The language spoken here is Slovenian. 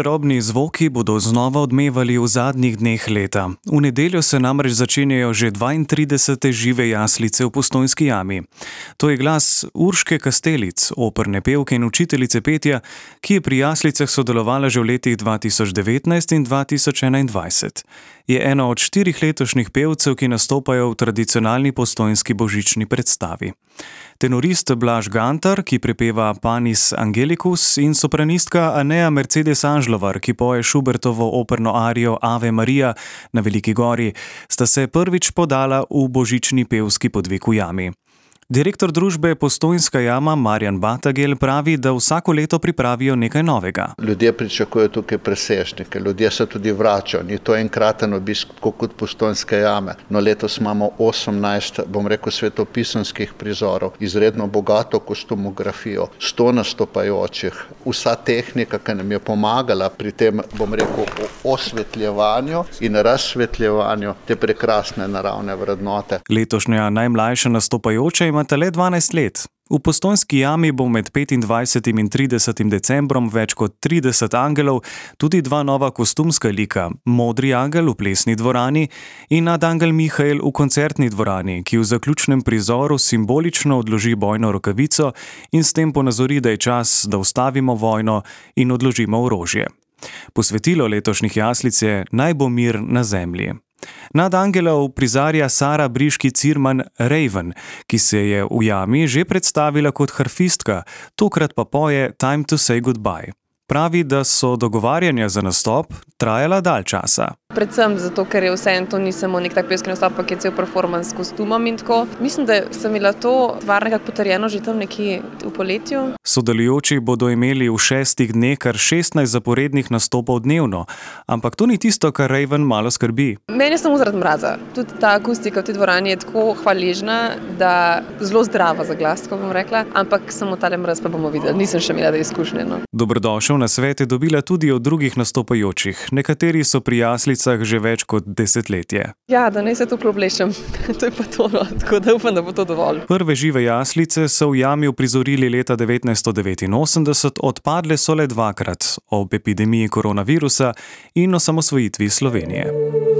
čarobni zvoki bodo znova odmevali v zadnjih dneh leta. V nedeljo se namreč začenjajo že 32. žive jaslice v Postojnski jami. To je glas Urške Kastelic, operne pevke in učiteljice petja, ki je pri jaslicah sodelovala že v letih 2019 in 2021. Je ena od 4 letošnjih pevcev, ki nastopajo v tradicionalni postojnski božični predstavi. Tenorist Blaž Gantar, ki prepeva Panis Angelicus, in sopranistka Aneja Mercedes Anžlovar, ki poje Schubertovo operno arijo Ave Maria na Veliki gori, sta se prvič podala v božični pevski podvig v jami. Direktor družbe Postojnska jama Marjan Batagel pravi, da vsako leto pripravijo nekaj novega. Ljudje pričakujejo tukaj presežnike, ljudje se tudi vračajo. Ni to enkraten obisk, kot Postojnske jame. No, letos imamo 18, svetopisanskih prizorov, izredno bogato kostumografijo, 100 nastopajočih, vsa tehnika, ki nam je pomagala pri tem, osvetljevanju in razsvetljevanju te prekrasne naravne vrednote. Letošnja najmlajša nastopajoča imata le 12 let. V Postojnski jami bo med 25. in 30. decembrom več kot 30 angelov, tudi 2 nova kostumska lika, Modri angel v plesni dvorani in nadangel Mihael v koncertni dvorani, ki v zaključnem prizoru simbolično odloži bojno rokavico in s tem ponazori, da je čas, da ustavimo vojno in odložimo orožje. Posvetilo letošnjih jaslic je Naj bo mir na zemlji. Nadangela uprizarja Sara Briški Cirman Raven, ki se je v jami že predstavila kot harfistka, tokrat pa poje Time to say goodbye. Pravi, da so dogovarjanja za nastop trajala dalj časa. Predvsem zato, ker je vseeno to ni samo nek tak pevski nastop, pa je cel performance s kostumom in tako. Mislim, da sem imela to stvar nekako potrjeno že tam nekje v poletju. Sodelujoči bodo imeli v 6 dneh kar 16 zaporednih nastopov dnevno, ampak to ni tisto, kar Raven malo skrbi. Meni je samo zaradi mraza. Tudi ta akustika v tej dvorani je tako hvaležna, da zelo zdrava za glas, ko bom rekla, ampak samo tale mraz pa bomo videli. Nisem še imela izkušnje. No. Dobrodošel na svet je dobila tudi od drugih nastopajočih. Nekateri so pri jaslicah že več kot desetletje. Ja, da ne se tukaj oblečem. To je pa to, no. Tako da upam, da bo to dovolj. Prve žive jaslice so v jami uprizorili leta 1989, odpadle so le 2-krat, ob epidemiji koronavirusa in osamosvojitvi Slovenije.